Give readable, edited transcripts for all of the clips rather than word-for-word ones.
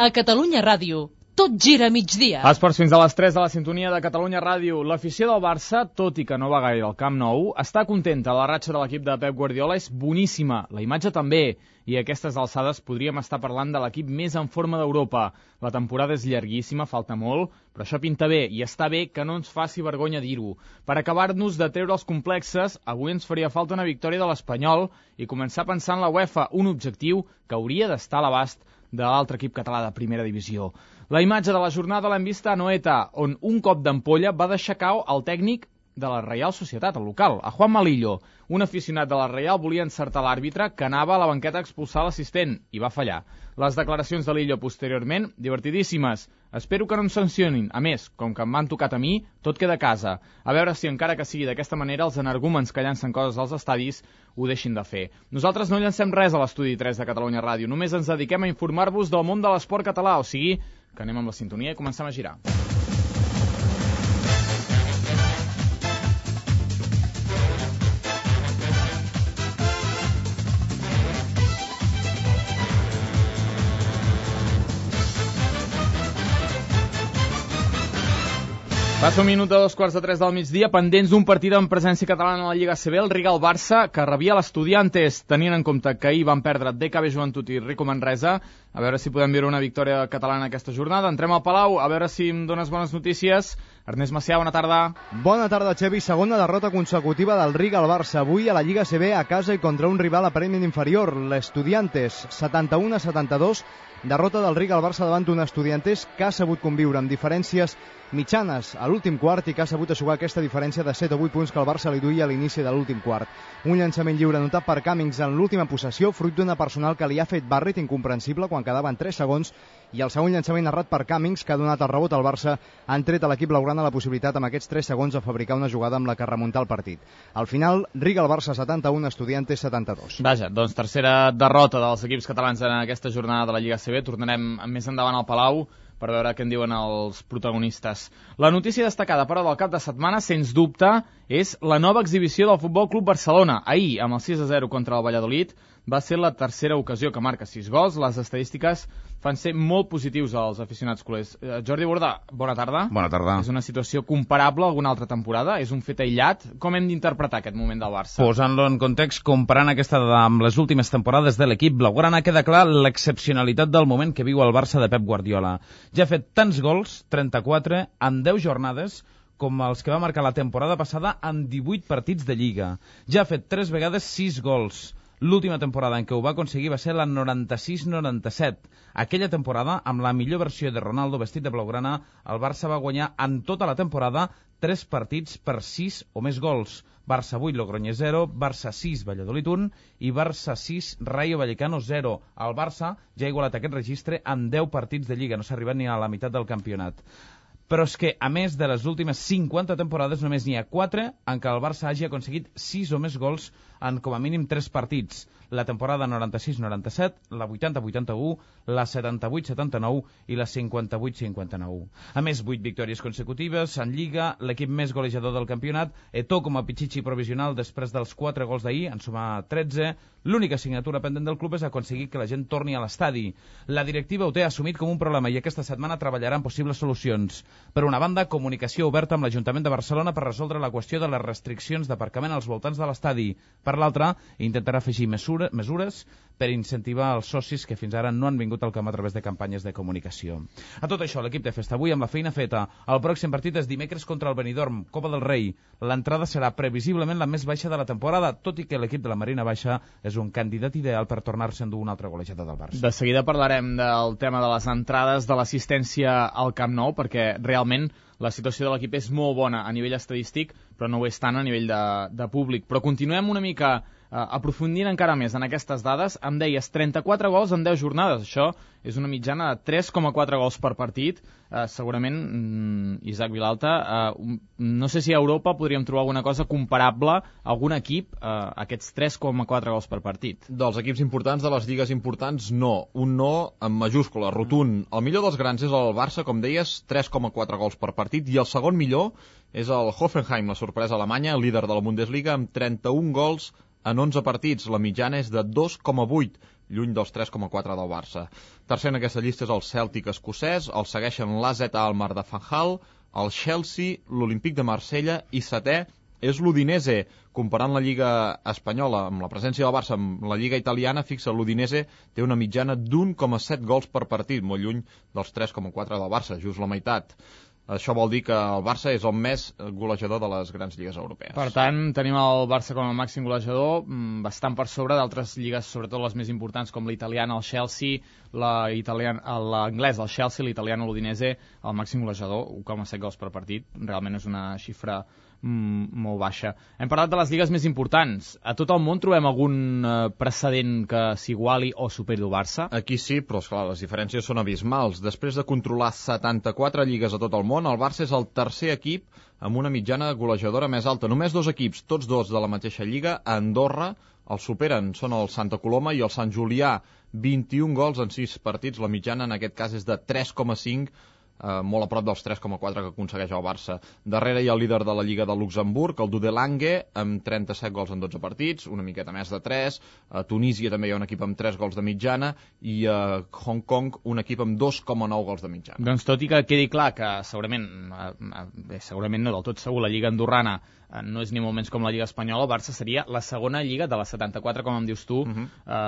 A Catalunya Ràdio, tot gira a migdia. Esports fins a les 3 de la sintonia de Catalunya Ràdio. L'afició del Barça, tot i que no va gaire al Camp Nou, està contenta. La ratxa de l'equip de Pep Guardiola és boníssima. La imatge també. I a aquestes alçades podríem estar parlant de l'equip més en forma d'Europa. La temporada és llarguíssima, falta molt, però això pinta bé, i està bé que no ens faci vergonya dir-ho. Per acabar-nos de treure els complexes, avui ens faria falta una victòria de l'Espanyol i començar a pensar en la UEFA, un objectiu que hauria d'estar a l'abast de l'altre equip català de primera divisió. La imatge de la jornada l'hem vista a Anoeta, on un cop d'ampolla va deixar cau el tècnic de la Reial Societat, el local, a Juan Malillo. Un aficionat de la Reial volia encertar l'àrbitre que anava a la banqueta a expulsar l'assistent i va fallar. Les declaracions de Lillo posteriorment, divertidíssimes. Espero que no em sancionin. A més, com que m'han tocat a mi, tot queda a casa. A veure si encara que sigui d'aquesta manera els energúmens que llancen coses als estadis ho deixin de fer. Nosaltres no llancem res a l'estudi 3 de Catalunya Ràdio, només ens dediquem a informar-vos del món de l'esport català, o sigui que anem amb la sintonia i comencem a girar. Passa un minut de 2:45 del migdia, pendents d'un partit amb presència catalana a la Lliga ACB, el Riga-Barça, que rebia l'Estudiantes, tenint en compte que ahir van perdre DKB Joventut i Rico Manresa. A veure si podem veure una victòria catalana aquesta jornada. Entrem al Palau, a veure si em dones bones notícies. Ernest Macià, bona tarda. Bona tarda, Xevi. Segona derrota consecutiva del Riga al Barça. Avui a la Lliga ACB a casa i contra un rival aparentment inferior, l'Estudiantes, 71-72. Derrota del Riga al Barça davant d'un Estudiantes que ha sabut conviure amb diferències mitjanes a l'últim quart i que ha sabut aixugar aquesta diferència de 7 o 8 punts que el Barça li duia a l'inici de l'últim quart. Un llançament lliure notat per Cummings en l'última possessió, fruit d'una personal que li ha fet Barret incomprensible quan quedaven 3 segons, i el segon llançament errat per Cummings, que ha donat el rebot al Barça, han tret a l'equip blaugrana la possibilitat amb aquests 3 segons de fabricar una jugada amb la que remuntar el partit. Al final, Riga al Barça 71, Estudiantes 72. Vaja, doncs tercera derrota dels equips catalans en aquesta jornada de la Lliga ACB. Tornarem més endavant al Palau per veure què en diuen els protagonistes. La notícia destacada, però, del cap de setmana, sens dubte, és la nova exhibició del Futbol Club Barcelona. Ahir, amb el 6-0 contra el Valladolid, va ser la tercera ocasió que marca 6 gols. Les estadístiques fan ser molt positius als aficionats culers. Jordi Bordà, bona tarda. Bona tarda. És una situació comparable a alguna altra temporada? És un fet aïllat? Com hem d'interpretar aquest moment del Barça? Posant-lo en context, comparant aquesta amb les últimes temporades de l'equip blaugrana, queda clar l'excepcionalitat del moment que viu el Barça de Pep Guardiola. Ja ha fet tants gols, 34, en 10 jornades, com els que va marcar la temporada passada en 18 partits de Lliga. Ja ha fet 3 vegades 6 gols. L'última temporada en què ho va aconseguir va ser la 96-97. Aquella temporada, amb la millor versió de Ronaldo vestit de blaugrana, el Barça va guanyar en tota la temporada 3 partits per 6 o més gols. Barça 8, Logroñés 0, Barça 6, Valladolid 1 i Barça 6, Rayo Vallecano 0. El Barça ja ha igualat aquest registre en 10 partits de Lliga, no s'ha arribat ni a la meitat del campionat. Però és que, a més de les últimes 50 temporades, només n'hi ha 4 en què el Barça hagi aconseguit 6 o més gols en com a mínim 3 partits. La temporada 96-97, la 80-81, la 78-79 i la 58-59. A més, 8 victòries consecutives en Lliga, l'equip més golejador del campionat, Eto'o com a Pichichi provisional després dels 4 gols d'ahir, en suma 13. L'única assignatura pendent del club és aconseguir que la gent torni a l'estadi. La directiva ho té assumit com un problema i aquesta setmana treballarà en possibles solucions. Per una banda, comunicació oberta amb l'Ajuntament de Barcelona per resoldre la qüestió de les restriccions d'aparcament als voltants de l'estadi. Per l'altra, intentarà afegir mesures per incentivar els socis que fins ara no han vingut al camp a través de campanyes de comunicació. A tot això, l'equip té festa avui amb la feina feta. El pròxim partit és dimecres contra el Benidorm, Copa del Rei. L'entrada serà previsiblement la més baixa de la temporada, tot i que l'equip de la Marina Baixa és un candidat ideal per tornar-se endur un altre golejador del Barça. De seguida parlarem del tema de les entrades, de l'assistència al Camp Nou, perquè realment la situació de l'equip és molt bona a nivell estadístic, però no ho és tant a nivell de públic. Però continuem una mica aprofundint encara més en aquestes dades. Em deies 34 gols en 10 jornades. Això és una mitjana de 3,4 gols per partit. Segurament, Isaac Vilalta, no sé si a Europa podríem trobar alguna cosa comparable a algun equip a aquests 3,4 gols per partit. Dels equips importants, de les lligues importants, no. Un no en majúscula, rotund. El millor dels grans és el Barça, com deies, 3,4 gols per partit, i el segon millor és el Hoffenheim, la sorpresa alemanya, líder de la Bundesliga, amb 31 gols en 11 partits. La mitjana és de 2,8. lluny dels 3,4 del Barça. Tercer en aquesta llista és el Cèltic escocès, el segueixen l'AZ Alkmaar de Fanjal, el Chelsea, l'Olímpic de Marsella i setè és l'Udinese. Comparant la Lliga espanyola amb la presència del Barça amb la Lliga italiana, fixa, l'Udinese té una mitjana d'1,7 gols per partit, molt lluny dels 3,4 del Barça, just la meitat. Això vol dir que el Barça és el més golejador de les grans lligues europees. Per tant, tenim el Barça com a màxim golejador, bastant per sobre d'altres lligues, sobretot les més importants, com l'italiana, el Chelsea, l'anglès, el Chelsea, l'italiana, l'Udinese, el màxim golejador, 1,7 gols per partit. Realment és una xifra molt baixa. Hem parlat de les lligues més importants. A tot el món trobem algun precedent que s'iguali o superi el Barça? Aquí sí, però esclar, les diferències són abismals. Després de controlar 74 lligues a tot el món, el Barça és el tercer equip amb una mitjana golejadora més alta. Només dos equips, tots dos de la mateixa lliga, a Andorra, els superen. Són el Santa Coloma i el Sant Julià. 21 gols en 6 partits. La mitjana en aquest cas és de 3,5, molt a prop dels 3,4 que aconsegueix el Barça. Darrere hi ha el líder de la Lliga de Luxemburg, el Dudelange, amb 37 gols en 12 partits, una miqueta més de 3. A Tunísia també hi ha un equip amb 3 gols de mitjana i a Hong Kong un equip amb 2,9 gols de mitjana. Doncs tot i que quedi clar que segurament no del tot segur, la Lliga andorrana no és ni molt menys com la Lliga espanyola, el Barça seria la segona lliga de les 74, com em dius tu,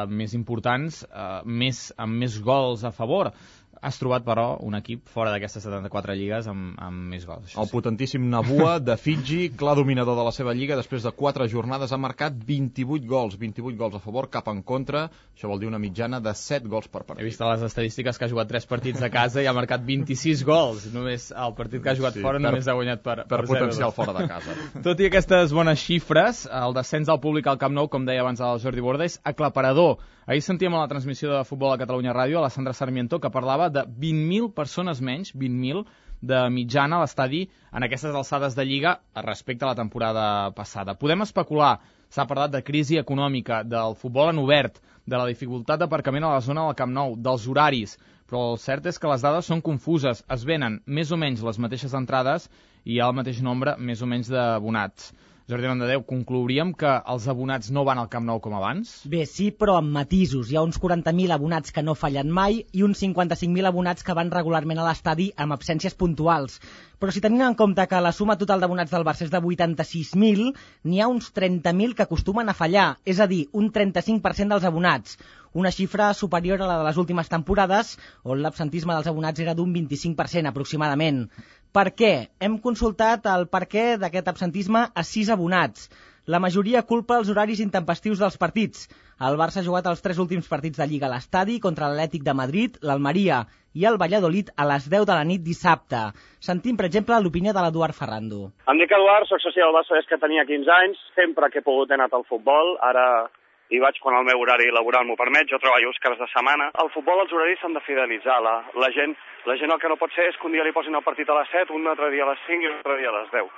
més importants, amb més gols a favor. Has trobat, però, un equip fora d'aquestes 74 lligues amb més gols. El potentíssim Nabua de Fiji, clar dominador de la seva lliga, després de 4 jornades ha marcat 28 gols a favor, cap en contra. Això vol dir una mitjana de 7 gols per partit. He vist a les estadístiques que ha jugat 3 partits a casa i ha marcat 26 gols. Només el partit que ha jugat fora només ha guanyat per potencial fora de casa. Tot i aquestes bones xifres, el descens del públic al Camp Nou, com deia abans el Jordi Borda, és aclaparador. Ahir sentíem a la transmissió de Futbol a Catalunya Ràdio a la Sandra Sarmiento que parlava de 20.000 persones menys, 20.000 de mitjana a l'estadi en aquestes alçades de Lliga respecte a la temporada passada. Podem especular, s'ha parlat de crisi econòmica, del futbol en obert, de la dificultat d'aparcament a la zona del Camp Nou, dels horaris, però el cert és que les dades són confuses, es venen més o menys les mateixes entrades i hi ha el mateix nombre més o menys d'abonats. Jordi Landadeu, conclouríem que els abonats no van al Camp Nou com abans? Bé, sí, però amb matisos. Hi ha uns 40.000 abonats que no fallen mai i uns 55.000 abonats que van regularment a l'estadi amb absències puntuals. Però si tenim en compte que la suma total d'abonats del Barça és de 86.000, n'hi ha uns 30.000 que acostumen a fallar, és a dir, un 35% dels abonats. Una xifra superior a la de les últimes temporades, on l'absentisme dels abonats era d'un 25% aproximadament. Per què? Hem consultat el perquè d'aquest absentisme a 6 abonats. La majoria culpa els horaris intempestius dels partits. El Barça ha jugat els 3 últims partits de Lliga a l'estadi contra l'Atlètic de Madrid, l'Almeria i el Valladolid a les 10 de la nit dissabte. Sentim, per exemple, l'opinió de l'Eduard Ferrando. Em dic Eduard, soc soci del Barça des que tenia 15 anys. Sempre que he pogut he anat al futbol. Ara hi vaig quan el meu horari laboral m'ho permet. Jo treballo els caps de setmana. Al futbol els horaris s'han de fidelitzar. La gent el que no pot ser és que un dia li posin el partit a les 7, un altre dia a les 5 i un altre dia a les 10.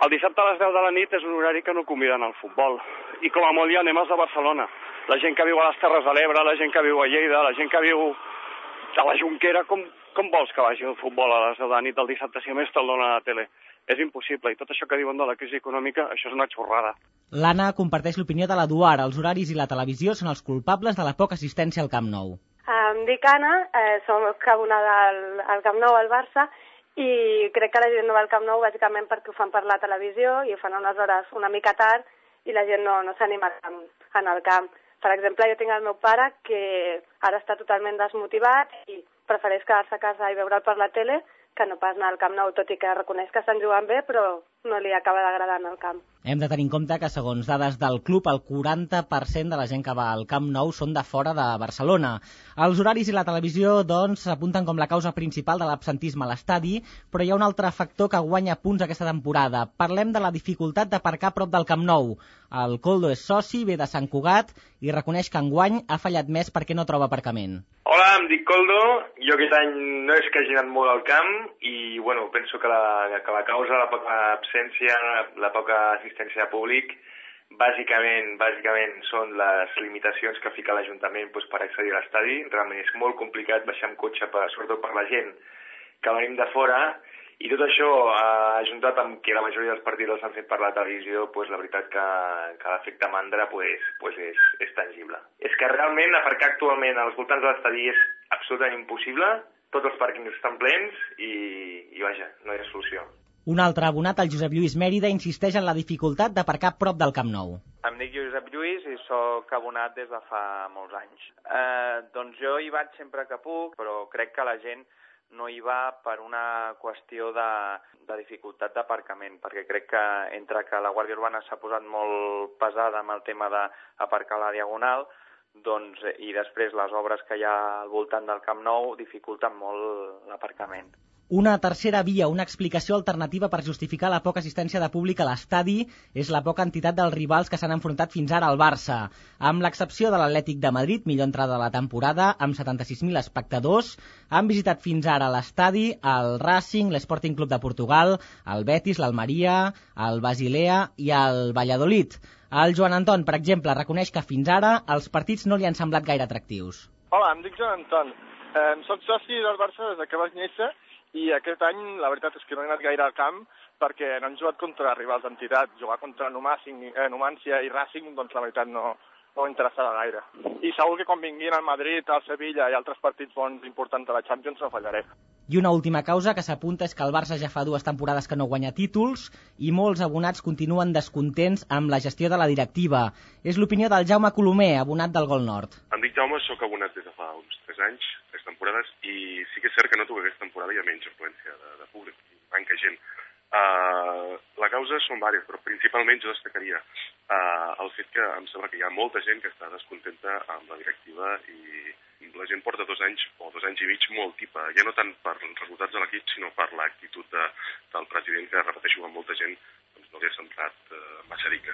El dissabte a les 10 de la nit és un horari que no conviden al futbol. I com a molt ja anem als de Barcelona. La gent que viu a les Terres de l'Ebre, la gent que viu a Lleida, la gent que viu a la Jonquera, com vols que vagi al futbol a les 10 de la nit del dissabte si a més te'l dona a la tele? És impossible. I tot això que diuen de la crisi econòmica, això és una xorrada. L'Anna comparteix l'opinió de l'Eduard. Els horaris i la televisió són els culpables de la poca assistència al Camp Nou. Em dic Anna, soc abonada al Camp Nou, al Barça, i crec que la gent no va al Camp Nou bàsicament perquè ho fan per la televisió i ho fan a unes hores una mica tard i la gent no s'anima a anar al camp. Per exemple, jo tinc el meu pare que ara està totalment desmotivat i prefereix quedar-se a casa i veure'l per la tele que no pas anar al Camp Nou, tot i que reconeix que estan jugant bé, però no li acaba d'agradar anar al camp. Hem de tenir en compte que, segons dades del club, el 40% de la gent que va al Camp Nou són de fora de Barcelona. Els horaris i la televisió, doncs, s'apunten com la causa principal de l'absentisme a l'estadi, però hi ha un altre factor que guanya punts aquesta temporada. Parlem de la dificultat d'aparcar a prop del Camp Nou. El Coldo és soci, ve de Sant Cugat, i reconeix que enguany ha fallat més perquè no troba aparcament. Hola, em dic Coldo. Jo aquest any no és que hagi anat molt al camp i, bueno, penso que la causa, la poca absència, la poca assistència de públic, bàsicament són les limitacions que fica l'Ajuntament per accedir a l'estadi. Realment és molt complicat baixar amb cotxe, sobretot per la gent que venim de fora, I tot això, ajuntat amb que la majoria dels partits s'han fet per la televisió, pues, la veritat que l'efecte mandra pues és tangible. És que realment aparcar actualment als voltants de l'estadi és absolutament impossible, tots els pàrquings estan plens i vaja, no hi ha solució. Un altre abonat, el Josep Lluís Mèrida, insisteix en la dificultat d'aparcar prop del Camp Nou. Em dic Josep Lluís i sóc abonat des de fa molts anys. Doncs jo hi vaig sempre que puc, però crec que la gent no hi va per una qüestió de dificultat d'aparcament, perquè crec que entre que la Guàrdia Urbana s'ha posat molt pesada amb el tema d'aparcar a la Diagonal, doncs, i després les obres que hi ha al voltant del Camp Nou dificulten molt l'aparcament. Una tercera via, una explicació alternativa per justificar la poca assistència de públic a l'estadi és la poca entitat dels rivals que s'han enfrontat fins ara al Barça. Amb l'excepció de l'Atlètic de Madrid, millor entrada de la temporada, amb 76.000 espectadors, han visitat fins ara l'estadi el Racing, l'Sporting Club de Portugal, el Betis, l'Almeria, el Basilea i el Valladolid. El Joan Anton, per exemple, reconeix que fins ara els partits no li han semblat gaire atractius. Hola, em dic Joan Anton. Soc soci del Barça des que vaig néixer i aquest any la veritat és que no he anat gaire al camp perquè no han jugat contra rivals d'entitat. Jugar contra Numància i Racing, doncs la veritat no m'interessava gaire. I segur que quan vinguin al Madrid, al Sevilla i altres partits bons importants de la Champions no fallaré. I una última causa que s'apunta és que el Barça ja fa 2 temporades que no guanya títols i molts abonats continuen descontents amb la gestió de la directiva. És l'opinió del Jaume Colomer, abonat del Gol Nord. Em dic Jaume, sóc abonat des de fa uns 3 anys, 3 temporades, i sí que és cert que noto que aquesta temporada hi ha menys afluència de públic, manca gent. La causa són diverses, però principalment jo destacaria el fet que em sembla que hi ha molta gent que està descontenta amb la directiva i la gent porta 2 anys o 2 anys i mig molt tipa, ja no tant per els resultats de l'equip, sinó per l'actitud del president, que repeteixo amb molta gent doncs no li ha semblat massa rica.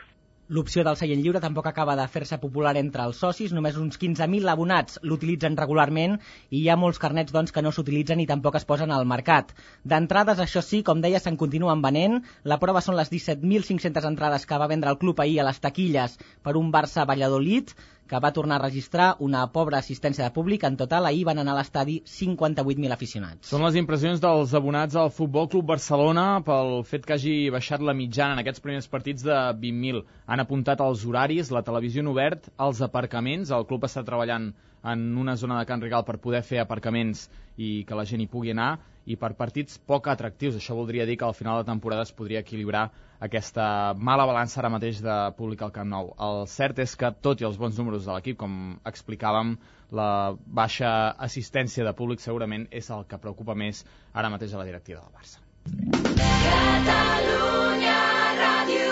L'opció del seient lliure tampoc acaba de fer-se popular entre els socis, només uns 15.000 abonats l'utilitzen regularment i hi ha molts carnets doncs, que no s'utilitzen i tampoc es posen al mercat. D'entrades, això sí, com deia, se'n continuen venent. La prova són les 17.500 entrades que va vendre el club ahir a les taquilles per un Barça-Valladolid, que va tornar a registrar una pobra assistència de públic. En total, ahir van anar a l'estadi 58.000 aficionats. Són les impressions dels abonats al Futbol Club Barcelona pel fet que hagi baixat la mitjana en aquests primers partits de 20.000. Han apuntat els horaris, la televisió en obert, els aparcaments. El club està treballant en una zona de Can Rigal per poder fer aparcaments i que la gent hi pugui anar, i per partits poc atractius. Això voldria dir que al final de temporada es podria equilibrar aquesta mala balança ara mateix de públic al Camp Nou. El cert és que, tot i els bons números de l'equip, com explicàvem, la baixa assistència de públic segurament és el que preocupa més ara mateix a la directiva del Barça. Catalunya Ràdio.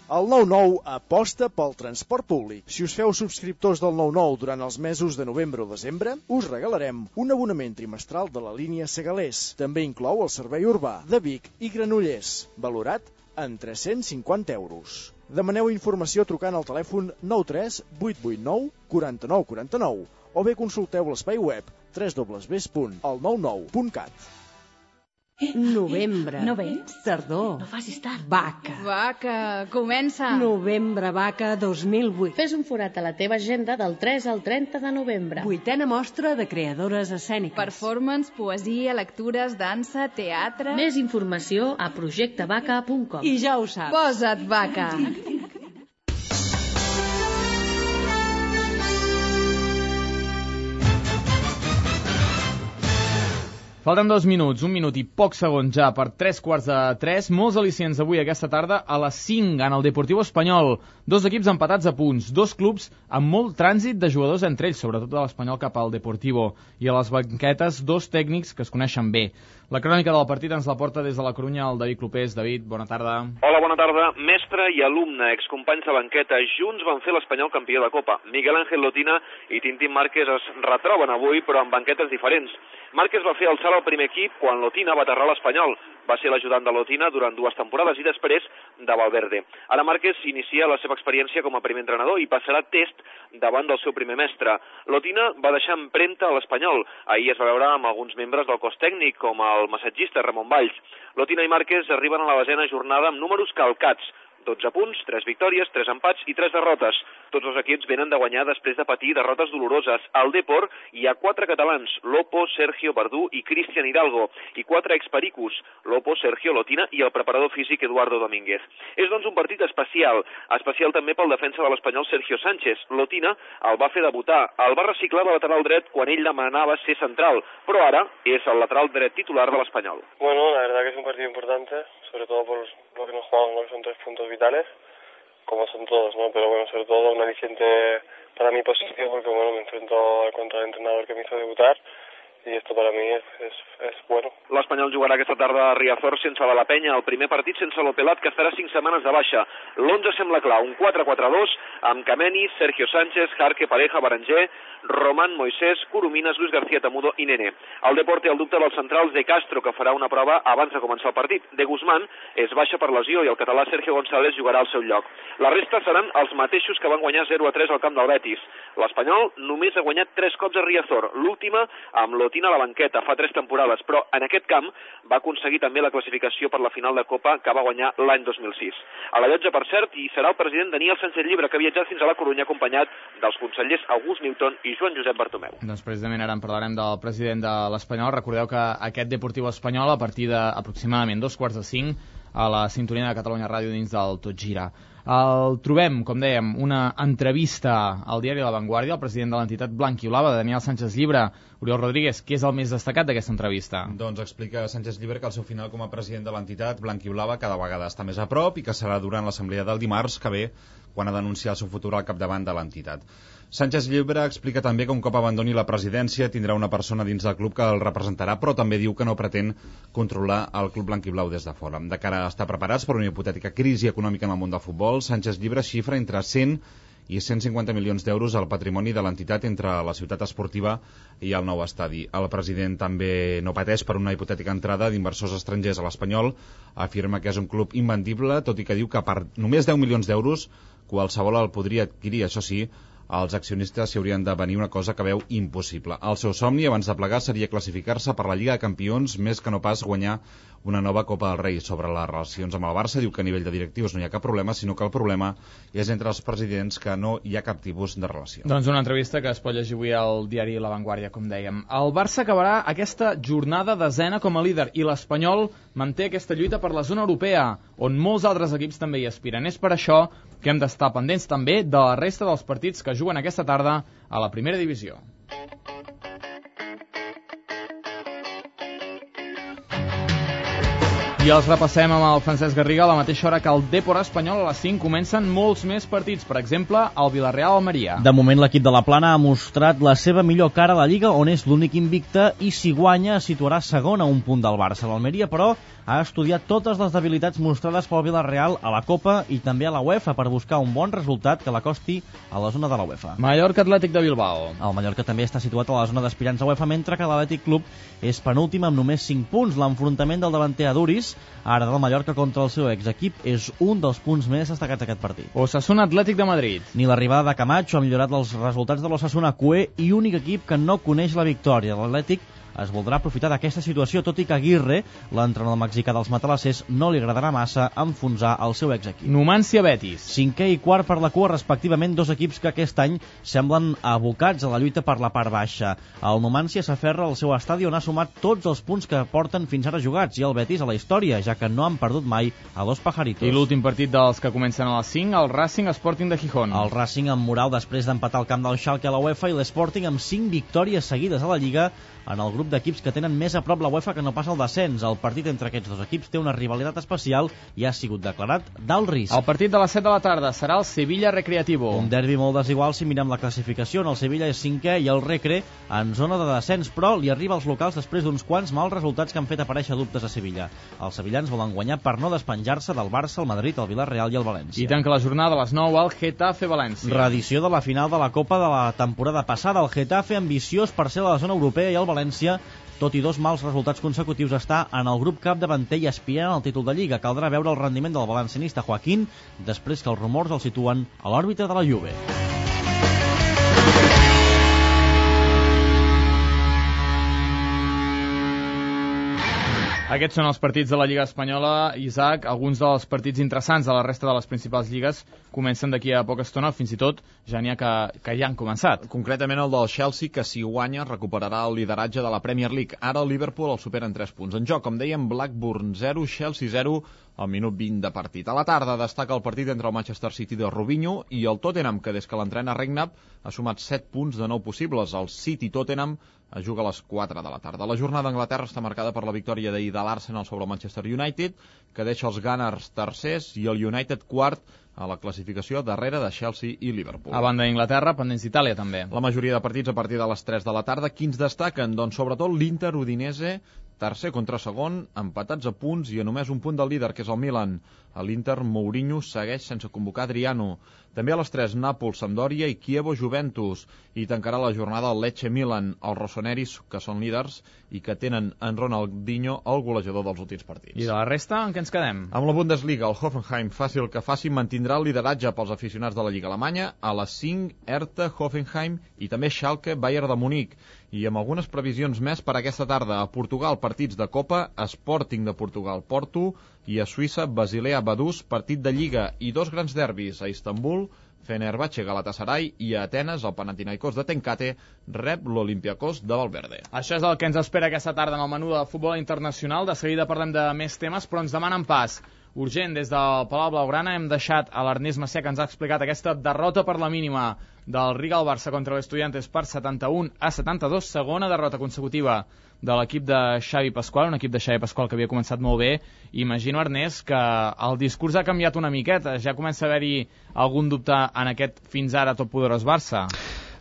El 9-9 aposta pel transport públic. Si us feu subscriptors del 9-9 durant els mesos de novembre o desembre, us regalarem un abonament trimestral de la línia Segalés. També inclou el servei urbà de Vic i Granollers, valorat en 350 euros. Demaneu informació trucant al telèfon 93 889 49 49 o bé consulteu l'espai web www.el99.cat. Novembre. No vens? Tardor. No facis tard. Vaca. Vaca, comença. Novembre Vaca 2008. Fes un forat a la teva agenda del 3 al 30 de novembre. 8a mostra de creadores escèniques. Performance, poesia, lectures, dansa, teatre... Més informació a projectevaca.com. I ja ho saps. Posa't vaca. Falten 2 minuts, 1 minut i pocs segons ja per 3:15. Molts al·licients avui aquesta tarda a les 5 en el Deportivo Espanyol. 2 equips empatats a punts, 2 clubs amb molt trànsit de jugadors entre ells, sobretot de l'Espanyol cap al Deportivo. I a les banquetes 2 tècnics que es coneixen bé. La crònica del partit ens la porta des de la Corunya el David Clopés. David, bona tarda. Hola, bona tarda. Mestre i alumne, excompanys de banqueta, junts van fer l'Espanyol campió de Copa. Miguel Ángel Lotina i Tintín Márquez es retroben avui, però amb banquetes diferents. Márquez va fer el salt al primer equip quan Lotina va aterrar l'Espanyol. Va ser l'ajudant de Lotina durant 2 temporades i després de Valverde. Ara Márquez inicia la seva experiència com a primer entrenador i passarà test davant del seu primer mestre. Lotina va deixar empremta a l'Espanyol. Ahir es va veure amb alguns membres del cos tècnic, com el massatgista Ramon Valls. Lotina i Márquez arriben a la 10ª jornada amb números calcats. 12 punts, 3 victòries, 3 empats i 3 derrotes. Tots els equips venen de guanyar després de patir derrotes doloroses. Al Depor hi ha 4 catalans, Lopo, Sergio Verdú i Cristian Hidalgo, i 4 expericus, Lopo, Sergio Lotina i el preparador físic Eduardo Domínguez. És doncs un partit especial també pel defensa de l'Espanyol Sergio Sánchez. Lotina el va fer debutar, el va reciclar de lateral dret quan ell demanava ser central, però ara és el lateral dret titular de l'Espanyol. Bueno, la verdad que es un partido importante, sobre todo por lo que nos jugamos, ¿no? Que son 3 puntos vitales, como son todos, ¿no? Pero bueno, sobre todo un aliciente para mi posición, porque bueno, me enfrento contra el entrenador que me hizo debutar, i esto para mi és bueno. L'Espanyol jugarà aquesta tarda a Riazor sense la Penya, el primer partit sense l'Opelat, que estarà 5 setmanes de baixa. L'11 sembla clar, un 4-4-2 amb Kameni, Sergio Sánchez, Jarque, Pareja, Berenguer, Román, Moisés, Coromines, Luis García Tamudo i Nene. El Depor té el dubte dels centrals de Castro, que farà una prova abans de començar el partit. De Guzmán és baixa per lesió i el català Sergio González jugarà al seu lloc. La resta seran els mateixos que van guanyar 0-3 al camp del Betis. L'Espanyol només ha guanyat 3 cops a Riazor, l'última amb Lotina a la banqueta fa 3 temporades, però en aquest camp va aconseguir també la classificació per la final de Copa que va guanyar l'any 2006. A la llotja, per cert, hi serà el president Daniel Sánchez Llibre, que ha viatjat fins a la Corunya acompanyat dels consellers August Newton i Joan Josep Bartomeu. Doncs precisament ara en parlarem del president de l'Espanyol. Recordeu que aquest Deportiu Espanyol, a partir d'aproximadament 4:45, a la sintonia de Catalunya Ràdio dins del Tot Gira. El trobem, com dèiem, una entrevista al diari La Vanguardia, el president de l'entitat blanquiolava, Daniel Sánchez Llibre. Oriol Rodríguez, què és el més destacat d'aquesta entrevista? Doncs explica Sánchez Llibre que el seu final com a president de l'entitat blanquiolava cada vegada està més a prop i que serà durant l'assemblea del dimarts que ve, quan ha d'anunciar el seu futur al capdavant de l'entitat. Sánchez Llibre explica també que un cop abandoni la presidència tindrà una persona dins del club que el representarà, però també diu que no pretén controlar el club blanquiblau des de fora. De cara a estar preparats per una hipotètica crisi econòmica en el món del futbol, Sánchez Llibre xifra entre 100 i 150 milions d'euros al patrimoni de l'entitat entre la ciutat esportiva i el nou estadi. El president també no pateix per una hipotètica entrada d'inversors estrangers a l'Espanyol, afirma que és un club invendible, tot i que diu que per només 10 milions d'euros qualsevol el podria adquirir. Això sí, els accionistes s'hi haurien de venir una cosa que veu impossible. El seu somni abans de plegar seria classificar-se per la Lliga de Campions, més que no pas guanyar una nova Copa del Rei. Sobre les relacions amb el Barça diu que a nivell de directius no hi ha cap problema, sinó que el problema és entre els presidents, que no hi ha cap tipus de relació. Doncs una entrevista que es pot llegir avui al diari La Vanguardia, com dèiem. El Barça acabarà aquesta jornada desena com a líder i l'Espanyol manté aquesta lluita per la zona europea, on molts altres equips també hi aspiren. És per això que hem d'estar pendents també de la resta dels partits que juguen aquesta tarda a la primera divisió. I els repassem amb el Francesc Garriga a la mateixa hora que el Depor espanyol. A les 5 comencen molts més partits, per exemple, el Villarreal-Almeria. De moment l'equip de la Plana ha mostrat la seva millor cara a la Lliga, on és l'únic invicte, i si guanya es situarà segon a un punt del Barça. L'Almeria, però, ha estudiat totes les debilitats mostrades pel Villarreal a la Copa i també a la UEFA per buscar un bon resultat que l'acosti a la zona de la UEFA. Mallorca Atlètic de Bilbao. El Mallorca també està situat a la zona d'aspirants a UEFA, mentre que l'Atlètic Club és penúltim amb només 5 punts. L'enfrontament del davanter Aduriz, ara del Mallorca contra el seu exequip, és un dels punts més destacats d'aquest partit. Osasuna Atlètic de Madrid. Ni l'arribada de Camacho ha millorat els resultats de l'Osasuna cué i únic equip que no coneix la victòria. L'Atlètic es voldrà aprofitar d'aquesta situació, tot i que Aguirre, l'entrenador mexicà dels matalassers, no li agradarà massa enfonsar el seu exequip. Numancia Betis. 5è i quart per la cua, respectivament, dos equips que aquest any semblen abocats a la lluita per la part baixa. El Numancia s'aferra al seu estadi, on ha sumat tots els punts que porten fins ara jugats, i el Betis a la història, ja que no han perdut mai a Los Pajaritos. I l'últim partit dels que comencen a les 5, el Racing Sporting de Gijón. El Racing amb moral després d'empatar el camp del Schalke a la UEFA, i l'Sporting amb 5 victòries seguides a la Lliga, en el grup d'equips que tenen més a prop la UEFA que no passa el descens. El partit entre aquests dos equips té una rivalitat especial i ha sigut declarat d'alt risc. El partit de les 7 de la tarda serà el Sevilla Recreativo. Un derbi molt desigual si mirem la classificació, on el Sevilla és 5è i el Recre en zona de descens, però li arriba als locals després d'uns quants mals resultats que han fet aparèixer dubtes a Sevilla. Els sevillans volen guanyar per no despenjar-se del Barça, el Madrid, el Villarreal i el València. I tanca la jornada a les 9 al Getafe València. Reedició de la final de la Copa de la temporada passada. El Getafe, ambiciós per ser a la zona europea, i el València, tot i dos mals resultats consecutius, està en el grup capdavanter i aspirant al títol de Lliga. Caldrà veure el rendiment del valencianista Joaquín després que els rumors el situen a l'òrbita de la Juve. Aquests són els partits de la Lliga Espanyola. Isaac, alguns dels partits interessants de la resta de les principals lligues comencen d'aquí a poca estona, fins i tot ja n'hi ha que ja han començat. Concretament el del Chelsea, que si guanya recuperarà el lideratge de la Premier League. Ara el Liverpool el supera en 3 punts. En joc, com dèiem, Blackburn 0, Chelsea 0, al minut 20 de partit. A la tarda destaca el partit entre el Manchester City de Robinho i el Tottenham, que des que l'entrena Redknapp ha sumat 7 punts de 9 possibles. El City-Tottenham es juga a les 4 de la tarda. La jornada d'Anglaterra està marcada per la victòria d'ahir de l'Arsenal sobre el Manchester United, que deixa els Gunners tercers i el United quart a la classificació darrere de Chelsea i Liverpool. A banda d'Inglaterra, pendents d'Itàlia també. La majoria de partits a partir de les 3 de la tarda. Quins destaquen? Doncs sobretot l'Inter Udinese, tercer contra segon, empatats a punts i a només un punt del líder, que és el Milan. A l'Inter, Mourinho segueix sense convocar Adriano. També a les 3, Nàpols, Sampdoria i Chievo, Juventus. I tancarà la jornada el Lecce Milan, els rossoneris, que són líders i que tenen en Ronaldinho el golejador dels últims partits. I de la resta, en què ens quedem? Amb la Bundesliga, el Hoffenheim, faci el que faci, mantindrà el lideratge pels aficionats de la Lliga Alemanya. A les 5, Hertha, Hoffenheim i també Schalke, Bayern de Munic. I amb algunes previsions més per aquesta tarda. A Portugal, partits de Copa, Sporting de Portugal, Porto, i a Suïssa, Basilea, Vaduz, partit de Lliga, i 2 grans derbis, a Istanbul, Fenerbahçe, Galatasaray, i a Atenes, el Panathinaikos de Tenkate rep l'Olympiakos de Valverde. Això és el que ens espera aquesta tarda en el menú de futbol internacional. De seguida parlem de més temes, però ens demanen pas urgent. Des del Palau Blaugrana hem deixat a l'Ernest Macià, que ens ha explicat aquesta derrota per la mínima del Riga al Barça contra l'Estudiantes per 71-72, segona derrota consecutiva de l'equip de Xavi Pasqual, un equip de Xavi Pasqual que havia començat molt bé. Imagino, Ernest, que el discurs ha canviat una miqueta, ja comença a haver-hi algun dubte en aquest fins ara totpoderós Barça.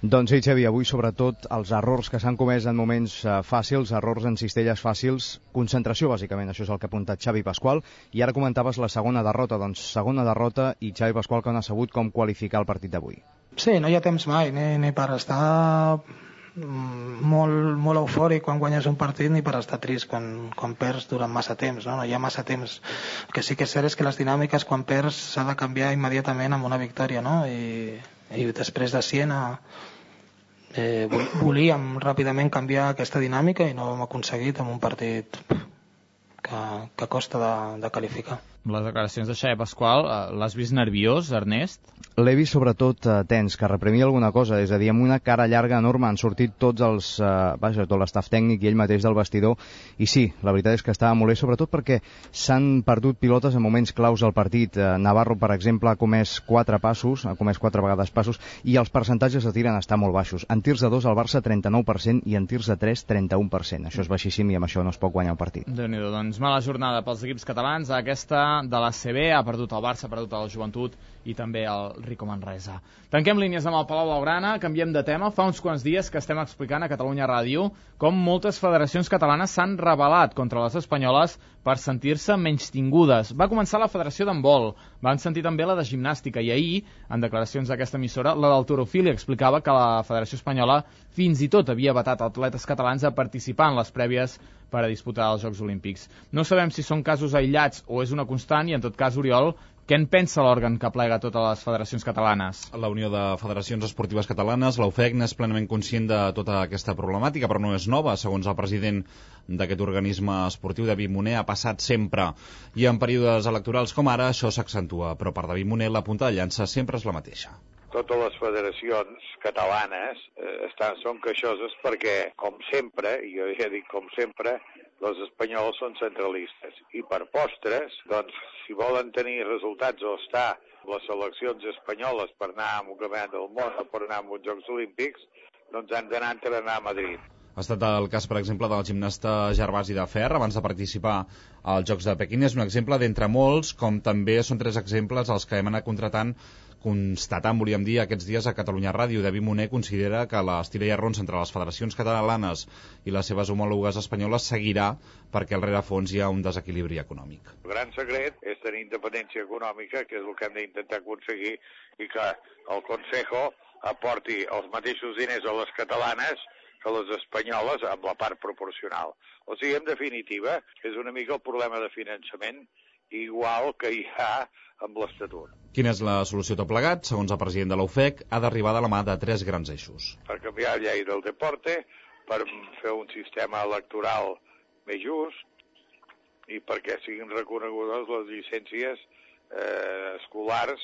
Doncs sí, Xavi, avui sobretot els errors que s'han comès en moments fàcils, errors en cistelles fàcils, concentració bàsicament, això és el que ha apuntat Xavi Pasqual, i ara comentaves la segona derrota, doncs segona derrota i Xavi Pasqual que no ha sabut com qualificar el partit d'avui. Sí, no hi ha temps mai, ni per estar molt eufòric quan guanyes un partit ni per estar trist quan perds durant massa temps, no hi ha massa temps. El que sí que és cert és que les dinàmiques quan perds s'ha de canviar immediatament amb una victòria, no? I després de Siena volíem ràpidament canviar aquesta dinàmica i no ho hem aconseguit amb un partit que costa de qualificar. Les declaracions de Xavi Pasqual, l'has vist nerviós, Ernest? L'he vist sobretot tens, que reprimia alguna cosa, és a dir, amb una cara llarga enorme han sortit tots els, tot l'estaf tècnic i ell mateix del vestidor, i sí, la veritat és que estava molt bé, sobretot perquè s'han perdut pilotes en moments claus del partit. Navarro, per exemple, ha comès 4 vegades passos, i els percentatges de tir han estat molt baixos. En tirs de 2 al Barça 39% i en tirs de 3 31%. Això és baixíssim i amb això no es pot guanyar el partit. Déu-n'hi-do, doncs mala jornada pels equips catalans. Aquesta de l'ACB ha perdut el Barça, ha perdut el Joventut i també el Rico Manresa. Tanquem línies amb el Palau Blaugrana, canviem de tema. Fa uns quants dies que estem explicant a Catalunya Ràdio com moltes federacions catalanes s'han rebel·lat contra les espanyoles per sentir-se menystingudes. Va començar la Federació d'Handbol, van sentir també la de Gimnàstica, i ahir, en declaracions d'aquesta emissora, la d'Halterofília explicava que la Federació Espanyola fins i tot havia vetat atletes catalans a participar en les prèvies per a disputar els Jocs Olímpics. No sabem si són casos aïllats o és una constant, i en tot cas, Oriol, què en pensa l'òrgan que plega totes les federacions catalanes? La Unió de Federacions Esportives Catalanes, la UFEC, és plenament conscient de tota aquesta problemàtica, però no és nova. Segons el president d'aquest organisme esportiu, David Moner, ha passat sempre. I en períodes electorals com ara, això s'accentua. Però per David Moner, la punta de llança sempre és la mateixa. Totes les federacions catalanes són queixoses perquè, com sempre, i jo ja dic com sempre, els espanyols són centralistes. I per postres, doncs, si volen tenir resultats o estar les seleccions espanyoles per anar a un campionat del món o per anar a uns Jocs Olímpics, doncs han d'anar a entrenar a Madrid. Ha estat el cas, per exemple, del gimnasta Gervasi de Fer, abans de participar als Jocs de Pequín. És un exemple d'entre molts, com també són 3 exemples els que hem anat constatant, volíem dir, aquests dies a Catalunya Ràdio. David Moner considera que l'estira i arrons entre les federacions catalanes i les seves homòlogues espanyoles seguirà perquè al rerefons hi ha un desequilibri econòmic. El gran secret és tenir independència econòmica, que és el que hem d'intentar aconseguir, i que el Consejo aporti els mateixos diners a les catalanes que les espanyoles amb la part proporcional. O sigui, en definitiva, és una mica el problema de finançament igual que hi ha amb l'Estatut. Quina és la solució tot plegat? Segons el president de la UFEC, ha d'arribar de la mà de 3 grans eixos. Per canviar la llei del deporte, per fer un sistema electoral més just i perquè siguin reconegudes les llicències escolars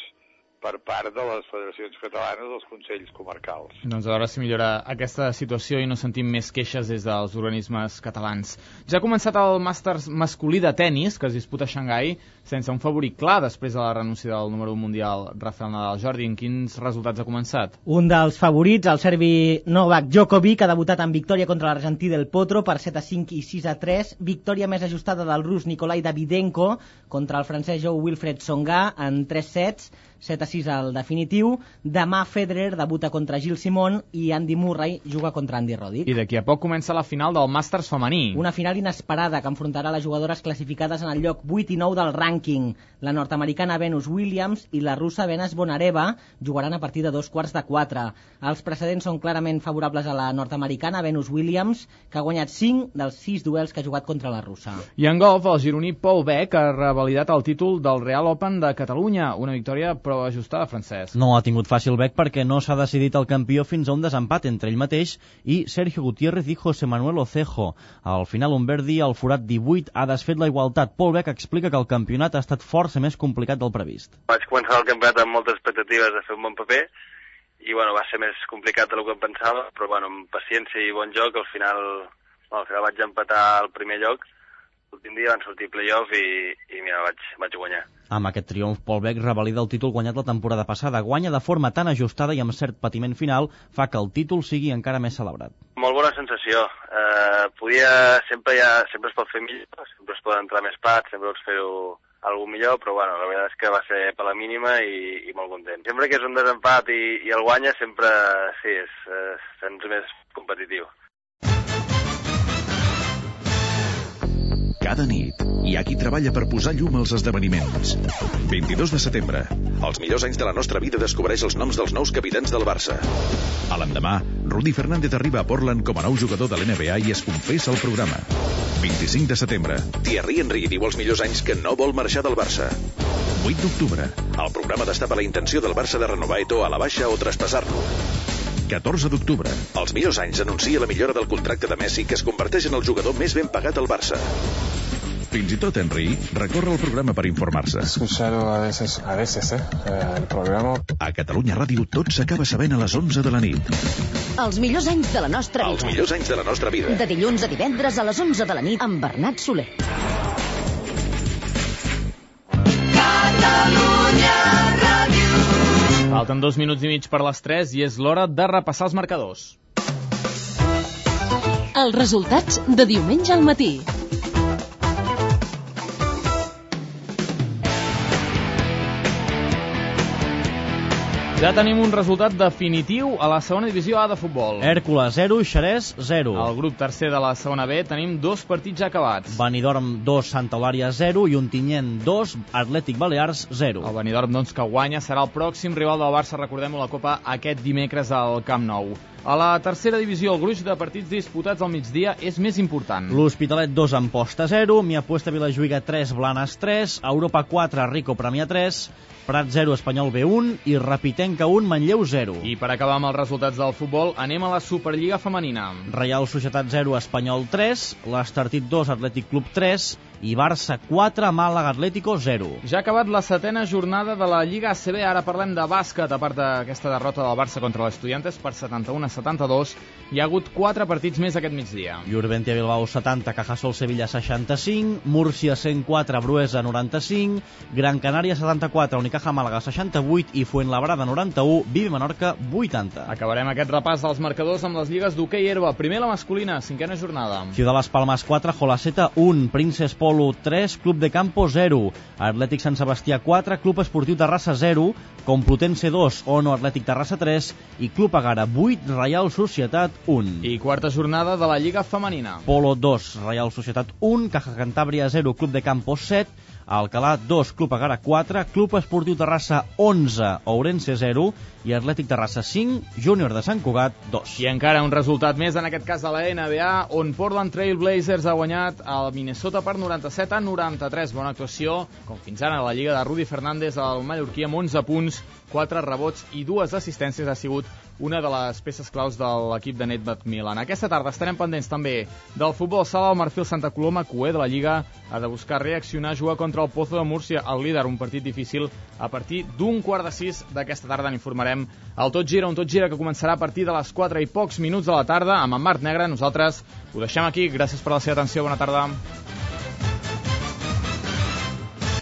per part de les federacions catalanes dels consells comarcals. Doncs a veure si millora aquesta situació i no sentim més queixes des dels organismes catalans. Ja ha començat el Màsters masculí de tennis, que es disputa a Xangai, sense un favorit clar després de la renúncia del número 1 mundial Rafael Nadal. Jordi, en quins resultats ha començat? Un dels favorits, el serbi Novak Djokovic, ha debutat en victòria contra l'argentí Del Potro per 7-5 i 6-3, victòria més ajustada del rus Nikolai Davydenko contra el francès Wilfried Tsonga en 3 sets, 7-6 al definitiu. Demà Federer debuta contra Gilles Simon i Andy Murray juga contra Andy Roddick. I d'aquí a poc comença la final del Màsters femení. Una final inesperada que enfrontarà les jugadores classificades en el lloc 8 i 9 del rànquing. La nord-americana Venus Williams i la russa Venus Bonareva jugaran a partir de 3:15. Els precedents són clarament favorables a la nord-americana Venus Williams, que ha guanyat 5 dels 6 duels que ha jugat contra la russa. I en golf, el gironí Paul Beck ha revalidat el títol del Real Open de Catalunya, una victòria però ajustada, Francesc. No ha tingut fàcil Beck perquè no s'ha decidit el campió fins a un desempat entre ell mateix i Sergio Gutiérrez i José Manuel Ocejo. Al final, un Verdi al forat 18 ha desfet la igualtat. Paul Beck explica que el campionat ha estat força més complicat del previst. Vaig començar el campionat amb moltes expectatives de fer un bon paper i va ser més complicat del que em pensava, però amb paciència i bon joc al final vaig empatar el primer lloc. L'últim dia van sortir play-off i mira, vaig guanyar. Amb aquest triomf, Paul Beck revalida el títol guanyat la temporada passada. Guanya de forma tan ajustada i amb cert patiment final fa que el títol sigui encara més celebrat. Molt bona sensació. Sempre es pot fer millor, sempre es poden entrar més pats, sempre pots fer-ho algú millor, però la veritat és que va ser per la mínima i molt content. Sempre que és un desempat i el guanya, sempre sí, sents més competitiu. Cada nit hi ha qui treballa per posar llum als esdeveniments. 22 de setembre. Els millors anys de la nostra vida descobreix els noms dels nous capitans del Barça. A l'endemà, Rudy Fernández arriba a Portland com a nou jugador de l'NBA i es confessa al programa. 25 de setembre. Thierry Henry diu els millors anys que no vol marxar del Barça. 8 d'octubre. El programa destapa la intenció del Barça de renovar Eto'o a la baixa o traspassar-lo. 14 d'octubre. Els millors anys anuncia la millora del contracte de Messi, que es converteix en el jugador més ben pagat al Barça. Fins i tot Henry recorre el programa per informar-se. Escuchado a veces, el programa. A Catalunya Ràdio tot s'acaba sabent a les 11 de la nit. Els millors anys de la nostra vida. Els millors anys de la nostra vida. De dilluns a divendres a les 11 de la nit amb Bernat Soler. Catalunya Ràdio. Falten 2 minuts i mig per les 3 i és l'hora de repassar els marcadors. Els resultats de diumenge al matí. Ja tenim un resultat definitiu a la segona divisió A de futbol. Hèrcules 0, Xerès 0. Al grup tercer de la segona B tenim 2 partits ja acabats. Benidorm 2, Santa Eulària 0 i Ontinyent 2, Atlètic Balears 0. El Benidorm, doncs, que guanya serà el pròxim rival del Barça, recordem-ho, la Copa aquest dimecres al Camp Nou. A la tercera divisió, el gruix de partits disputats al migdia és més important. L'Hospitalet 2, Amposta 0, Miapuesta Vilajuïga 3, Blanes 3, Europa 4, Rico Premià 3, Prat 0, Espanyol B1 i Rapitenca 1, Manlleu 0. I per acabar amb els resultats del futbol, anem a la Superliga femenina. Reial Societat 0, Espanyol 3, l'Estartit 2, Atlètic Club 3 i Barça 4, Màlaga Atlético 0. Ja ha acabat la setena jornada de la Lliga ACB, ara parlem de bàsquet. A part d'aquesta derrota del Barça contra l'Estudiantes per 71-72, hi ha hagut 4 partits més aquest migdia. Jurventia Bilbao 70, Cajasol Sevilla 65, Múrcia 104, Bruesa 95, Gran Canària 74, Unicaja Màlaga 68 i Fuenlabrada 91, Vive Menorca 80. Acabarem aquest repàs dels marcadors amb les lligues d'hoquei herba. Primer la masculina, 5a jornada. Ciudad Las Palmas 4, Jolaceta 1, Princes Polo 3, Club de Campo 0, Atlètic Sant Sebastià 4, Club Esportiu Terrassa 0, Complutense 2, Ono Atlètic Terrassa 3 i Club Agara 8, Reial Societat 1. I quarta jornada de la Lliga femenina. Polo 2, Reial Societat 1, Caja Cantàbria 0, Club de Campo 7, Alcalà 2, Club Agara 4, Club Esportiu Terrassa 11, Ourense 0 i Atlètic Terrassa 5, Júnior de Sant Cugat 2. I encara un resultat més, en aquest cas de la NBA, on Portland Trail Blazers ha guanyat el Minnesota per 97-93. Bona actuació, com fins ara a la lliga de Rudy Fernández, el mallorquí amb 11 punts, 4 rebots i 2 assistències. Ha sigut una de les peces claus de l'equip de Nedved Milan. Aquesta tarda estarem pendents també del futbol sala. El Marfil Santa Coloma, cuer de la Lliga, ha de buscar reaccionar a jugar contra el Pozo de Múrcia, el líder, un partit difícil a partir d'un 5:45 d'aquesta tarda. N'informarem al Tot Gira, un Tot Gira que començarà a partir de les 4 i pocs minuts de la tarda amb en Marc Negre. Nosaltres ho deixem aquí. Gràcies per la seva atenció. Bona tarda.